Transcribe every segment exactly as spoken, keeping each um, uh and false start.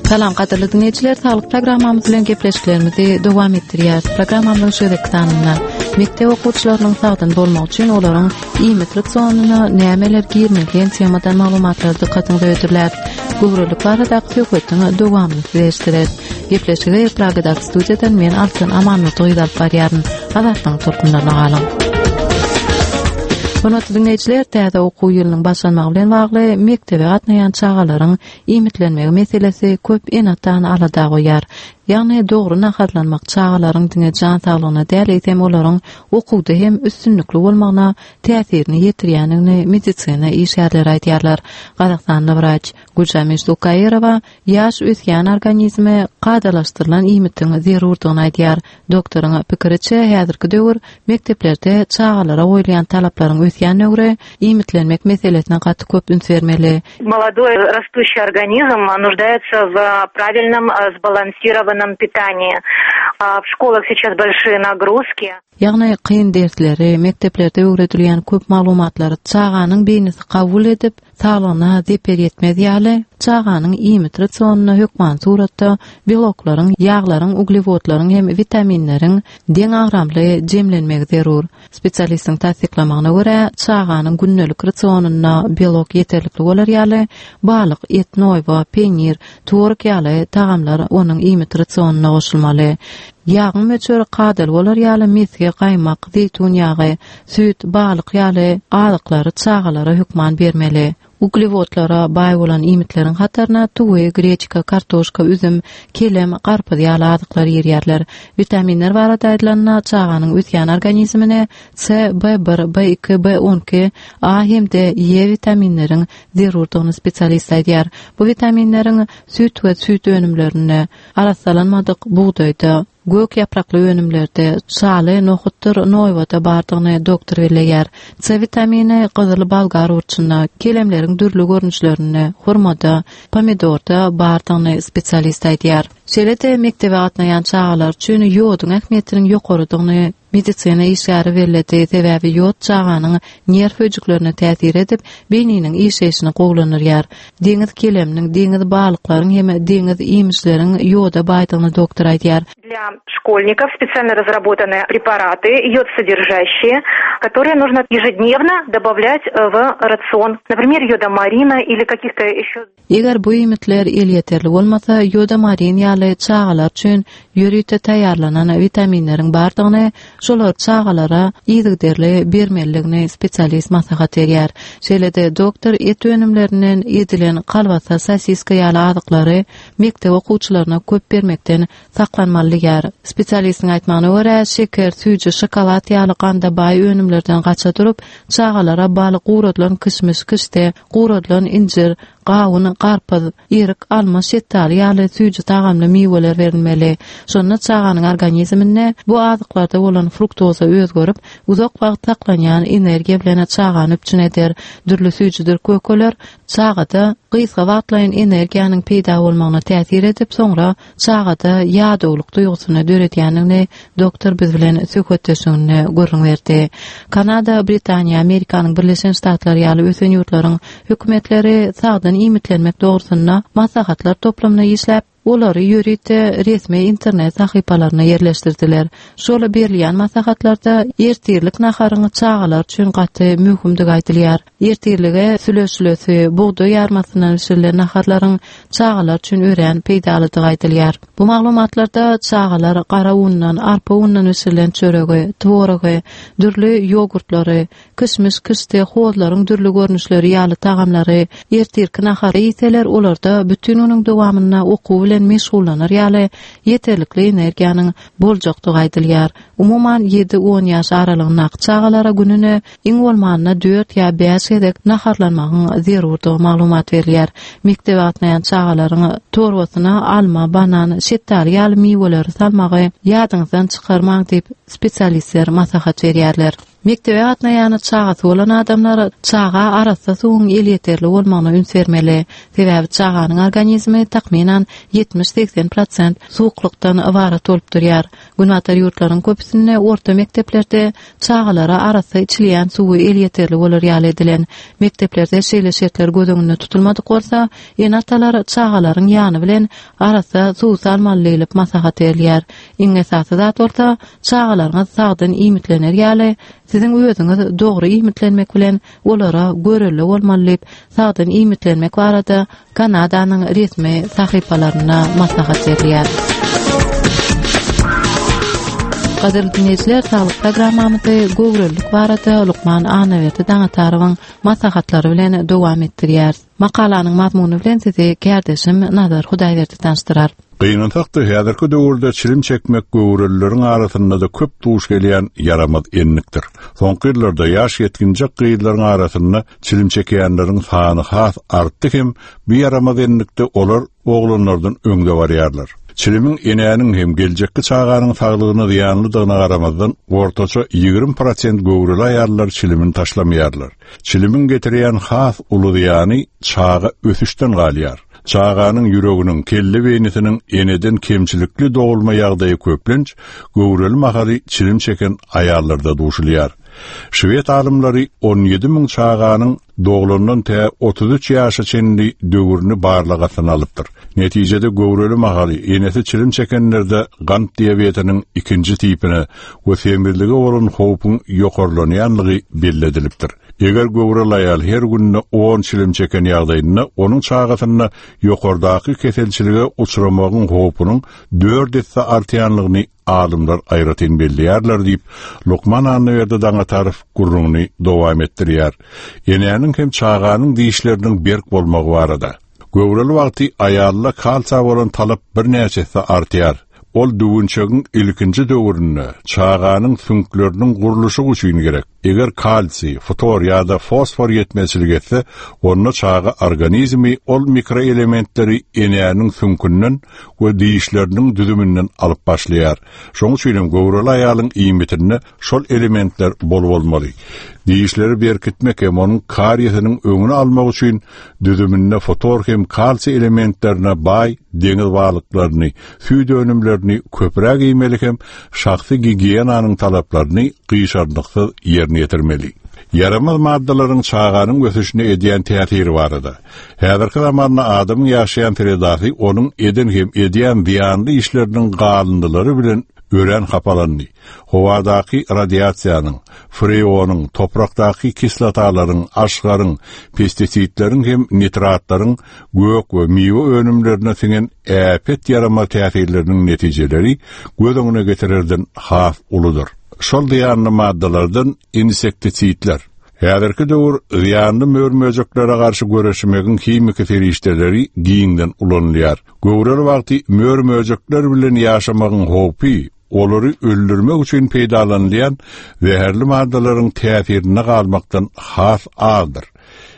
Salam gadyrly dinleýjiler, saglyk programmamyz bilen gepleşiklerimizi dowam etdirýäris. Programmamyzyň şu gezekki sanynda mekdep okuwçylarynyň sagdyn bolmagy üçin olaryň iýmit rasionyna nämeler girmeli diýen temadan maglumatlary dykgatyňyza hödürläris. Göwrelilik baradaky söhbetiň dowamyny size eşitdireris. Gepleşigi Pragadaky studiýadan men Altyn Amanmurdy gyz alyp barýaryn. Azatlygyň tolkunlaryna galyň. Hormatly dinleýjiler, täze okuw ýylynyň başlanmagy bilen bagly mekdebe gatnaýan çagalaryň iýmitlenmegi meselesi köp ene-atany alada goýýar. Ýagny dogry naharlanmak çagalaryň diňe jan saglygyna däl, eýsem olaryň okuwda hem üstünlikli bolmagyna täsirini ýetirýändigini medisina işgärleri aýdýarlar. Gazagystanly wraç Güljameş Zukaýerowa ýaş ösýän organizme kadalaşdyrylan iýmitiň zerurdygyny aýdýar. Doktoryň pikiriçe, häzirki döwür mekdeplerde çagalara goýulýan talaplaryň ösýän döwri iýmitlenmek meselesine gaty köp üns bermeli. Молодой растущий организм нуждается в правильном сбалансированном питании. В школах сейчас большие нагрузки. Ýagny kyn dersleri, mekdeplerde öwredilýän köp maglumatlary çaganyň beýnisi kabul edip, saglygyna zeper ýetmez ýaly, çaganyň iýmit rasionyna hökman suratda beloklaryň, ýaglaryň, uglewodlaryň hem witaminleriň deň agramly jemlenmegi zerur. Spesialistiň tassyklamagyna görä, çaganyň gündelik rasionynda belok ýeterlikli bolar ýaly, balyk, et, noýba, peýnir, tworog ýaly tagamlar onuň iýmit rasionyna goşulmaly. Ýagyň möçberi kadaly bolar ýaly mesge, gaýmak, zeýtun ýagy, süýt, balyk ýaly azyklary çagalara hökman bermeli. Uglewodlara baý bolan iýmitleriň hataryna tüwi, greçka, kartoşka, üzüm, kelem, garpyz ýaly azyklar girýärler. Witaminler barada aýdylanda, çaganyň ösýän organizmine C, B bir, B iki, B on iki, A hem-de E witaminleriň zerurdygyny spesialist aýdýar. Bu witaminleriň süýt we süýt önümlerinde, arassalanmadyk bugdaýda, gök ýaprakly önümlerde, şaly, nohutdyr, noýbada bardygyny doktor belleýär. C witamini gyzyl bolgar burçunda, kelemleriň dürli görnüşlerinde, hurmada, pomidorda bardygyny spesialist aýdýar. Şeýle-de mekdebe gatnaýan çagalar üçin ýoduň ähmiýetiniň ýokarydygyny medisina işgäri belledi. Sebäbi ýod çaganyň nerw öýjüklerine täsir edip, beýniniň işleýşini gowulandyrýar. Deňiz keleminiň, deňiz balyklaryň hem deňiz iýmişleriň ýoda baýdygyny doktor aýdýar. Для школьников специально разработаны препараты, йод-содержащие, которые нужно ежедневно добавлять в рацион. Например, йодомарина или каких-то еще... Eger bu iýmitler elýeterli bolmasa, ýodomarin ýaly çagalar üçin ýörite taýýarlanan witaminleriň bardygyny, şolar çagalara yzygiderli bermelidigini spesialist maslahat berýär. Şeýle-de doktor et önümlerinden edilen kalbasa, sosiska ýaly azyklary mekdep okuwçylaryna köp bermekden saklanmaly diýär. Spesialistiň aýtmagyna görä, şeker, süýji, şokolad ýaly ganda baý önümlerden gaça durup, çagalara baly guradylan kişmiş, kişde, guradylan injir, gawun, garpyz, erik, alma, şetdaly ýaly süýji tagamly miweler berilmeli. Şonda çaganyň organizminde bu azyklarda bolan fruktoza özgerip, uzak wagt saklanýan energiýa bilen çagany üpjün eder. Dürli süýjüdir kökeler çagada gysga wagtlaýyn energiýanyň peýda bolmagyna täsir edip, soňra çagada ýadawlyk duýgusyny döredýändigini doktor biz bilen söhbetdeşliginde gürrüň berdi. Kanada, Britaniýa, Amerikanyň Birleşen Ştatlary ýaly ösen ýurtlaryň hökümetleri sagdyn iýmitlenmek dogrusynda maslahatlar toplumyny işläp, olary ýörite resmi internet sahypalaryna ýerleşdirdiler. Şola berilýän maslahatlarda ertirlik naharyň çagalar üçin gaty möhümdigi aýdylýar. Ertirlige süleşilesi, bugdaý ýarmasyndan bişirilen naharlaryň çagalar üçin örän peýdalydygy aýdylýar. Bu maglumatlarda çagalar gara undan, arpa undan bişirilen çöregi, tworogy, dürli ýogurtlary, kişmiş, kişde, hozlaryň dürli görnüşleri ýaly tagamlary ertirki nahary iýseler, olarda bütün günüň dowamynda okuw bilen meşgullanar ýaly ýeterlikli energiýanyň boljakdygy aýdylýar. Umuman ýedi on ýaş aralygyndaky çagalara gününe iň bolmanda dört ýa bäş gezek naharlanmagyň zerurdygy maglumat berilýär. Mekdebe gatnaýan çagalaryň torbasyna alma, banan, şetdaly ýaly miweleri salmagy ýadyňyzdan çykarmaň diýip spesialistler maslahat berýärler. Mekdebe gatnaýan çagasy bolan adamlar çaga arassa suwuň elýeterli bolmagyna üns bermeli. Sebäbi çaganyň organizmi takmynan ýetmiş-segsen prosent suwuklykdan ybarat bolup durýar. Günbatar ýurtlaryň köpüsinde orta mekdeplerde çagalara arassa içilýän suwy elýeterli bolar ýaly edilen. Mekdeplerde şeýle şertler göz öňünde tutulmadyk bolsa, ene-atalar çagalaryň ýany bilen arassa suw salmaly diýlip maslahat berilýär. Iň esasy zat bolsa, çagalaryňyz sagdyn iýmitlener ýaly, siziň özüňiz dogry iýmitlenmek bilen olara görelde bolmaly diýip, sagdyn iýmitlenmek barada Kanadanyň resmi sahypalarynda maslahat berilýär. Gadyrly dinleýjiler, saglyk programmamyzy göwrelilik barada lukman Annaberdi Daňatarowyň maslahatlary bilen dowam etdirýäris. Makalanyň mazmuny bilen sizi kärdeşim Nazar Hudaýberdi tanyşdyrar. Gynansak-da häzirki döwürde çilim çekmek göwrelileriň arasynda-da köp duş gelýän ýaramaz enlikdir. Soňky ýyllarda ýaş ýetginjek gyzlaryň arasynda çilim çekýänleriň sany has artdy hem bu ýaramaz enlikde olar oglanlardan öňde barýarlar. Çilimiň enäniň hem geljekki çaganyň saglygyna zyýanlydygyna garamazdan ortaça ýigrimi prosent göwreli aýallar çilimini taşlamaýarlar. Çilimiň getirýän has uly zyýany çaga ösüşden galýar. Çaganyň ýüreginiň, kelle beýnisiniň eneden kemçilikli dogulma ýagdaýy köplenç göwreli mahaly çilim çeken aýallarda duşulýar. Şwed alymlary on ýedi müň çaganyň doglandan tä otuz üç ýaşa çenli döwrüni barlagasyna alypdyr. Netijede göwreli mahaly enesi çilim çekenlerde gant diabetiniň ikinji tipine we semizlige bolan howpuň ýokarlanýanlygy belli edilipdir. Eger göwreli aýal her günde on çilim çeken ýagdaýynda onuň çagasynda ýokardaky keselçilige uçramagyň howpunyň dört esse artýanlygyny alymlar aýratyn belleýärler diýip, Lukman Annaberdi Daňatarow gürrüňini dowam etdirýär. Enäniň hem çaganyň dişleriniň berk bolmagy barada. Göwreli wagty aýalla kalsiýa bolan talap birnäçe esse artýar. Ol düwünçegiň ilkinji döwründe çaganyň süňkleriniň gurluşy üçin gerek. Eger kalsiý, ftor ýa-da fosfor ýetmezçilik etse, onda çaga organizmi ol mikroelementleri enäniň süňkünden we dişleriniň düzüminden alyp başlaýar. Şonuň üçin hem göwreli aýalyň iýmitinde şol elementler bol bolmaly. Dişleri berkitmek hem onuň kariýesiniň öňüni almak üçin düzüminde ftor hem kalsiý elementlerine baý deňiz balyklaryny, süýt önümlerini köpräk iýmeli hem şahsy gigiýenanyň talaplaryny gyşarnyksyz ýerine ýetirmeli. Ýaramaz maddalaryň çaganyň ösüşine edýän täsiri barada. Häzirki zamanda adamyň ýaşaýan sredasy onuň eden hem edýän zyýanly işleriniň galyndylary bilen örän hapalandy. Howadaky radiasiýanyň, freonyň, toprakdaky kislotalaryň, aşgaryň, pestisidleriň hem nitratlaryň gök we miwe önümlerine siňen äpet ýaramaz täsirleriniň netijeleri göz öňüne getirerden has uludyr. Şol zyýanly maddalardan insektisidler. Häzirki döwür zyýanly mör-möjeklere garşy göreşmegiň himiki serişdeleri giňden ulanylýar. Göwreli wagty mör-möjekler bilen ýaşamagyň howpy, olary öldürmek üçin peýdalanylýan zäherli maddalaryň täsirine galmakdan has azdyr.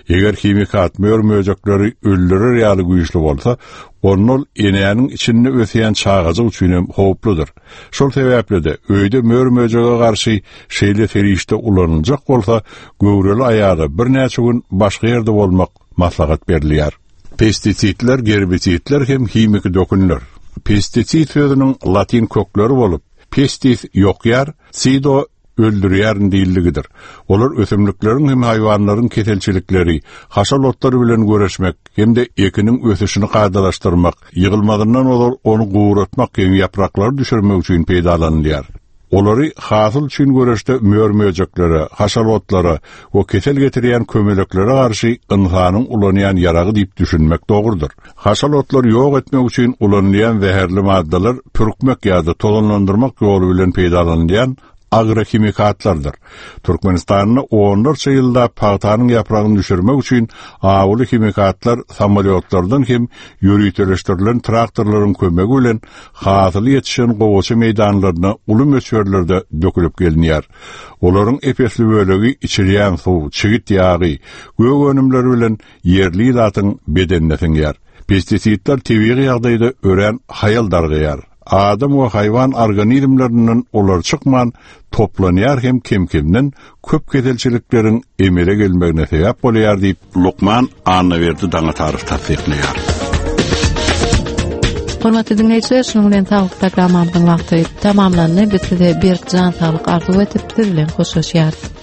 Eger himikat mör-möjekleri öldürer ýaly güýçli bolsa, onda ol enäniň içinde ösýän çagajyk üçin hem howpludyr. Şol sebäpli-de öýde mör-möjege garşy şeýle serişde ulanyljak bolsa, göwreli aýala birnäçe gün başga ýerde bolmak maslahat berilýär. Pestisidler, gerbisidler hem himiki dökünler. Pestisid sözüniň latin kökleri bolup, pestis ýokýar, sido öldürýärin diýildigidir. Olar ösümlikleriň hem haýwanlaryň keselçilikleri, haşal otlary bilen göreşmek hem-de ekiniň ösüşini kadalaşdyrmak, ýygylmazyndan ozal ony guratmak hem ýapraklary düşürmek üçin peýdalanylýar. Olary hasyl üçin göreşde mör-möjeklere, haşal otlara we kesel getirýän kömeleklere garşy ynsanyň ulanýan ýaragy diýip düşünmek dogrudyr. Haşal otlary ýok etmek üçin ulanylýan zäherli maddalar pürkmek ýa-da tozanlandyrmak ýoly bilen peýdalanylýan agrohimikatlardyr. Türkmenistanda onlarça ýylda pagtanyň ýapragyny düşürmek üçin awuly himikatlar samolyotlardan hem ýöriteleşdirilen traktorlaryň kömegi bilen hasyly ýetişen gowaça meýdanlaryna uly möçberlerde dökülip gelinýär. Olaryň epesli bölegi içilýän suw, çigit ýagy, gök önümleri bilen ýerli ilatyň bedenine siňýär. Pestisidler tebigy ýagdaýda örän haýal dargaýar. Adam we haýwan organizmlerinden olar çykman toplanýar hem kem-kemden köp keselçilikleriň emele gelmegine sebäp bolýar diýip Lukman Annaberdi Daňatarow tassyklaýar. Hormatly dinleýjiler, şunuň bilen saglyk programmamyzyň wagty tamamlandy. Biz size berk jan saglyk arzuw edip, siz bilen hoşlaşýarys.